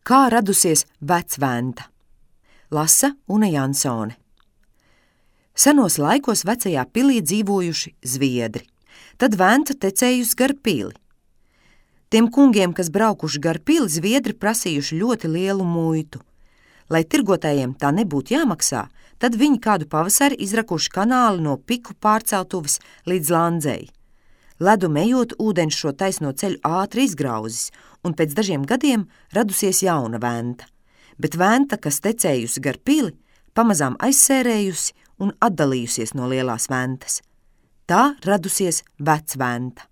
Kā radusies Vecventa? Lasa Una Jansone. Senos laikos vecajā pilī dzīvojuši zviedri. Tad venta tecējusi gar pili. Tiem kungiem, kas braukuši gar pili, zviedri prasījuši ļoti lielu muitu. Lai tirgotājiem tā nebūtu jāmaksā, tad viņi kādu pavasari izrakuši kanāli no Piku pārceltuves līdz Landzei. Ledu ejot, ūdens šo taisno ceļu ātri izgrauzis, un pēc dažiem gadiem radusies jauna venta. Bet venta, kas tecējusi gar pili, pamazām aizsērējusi un atdalījusies no lielās ventas. Tā radusies Vecventa.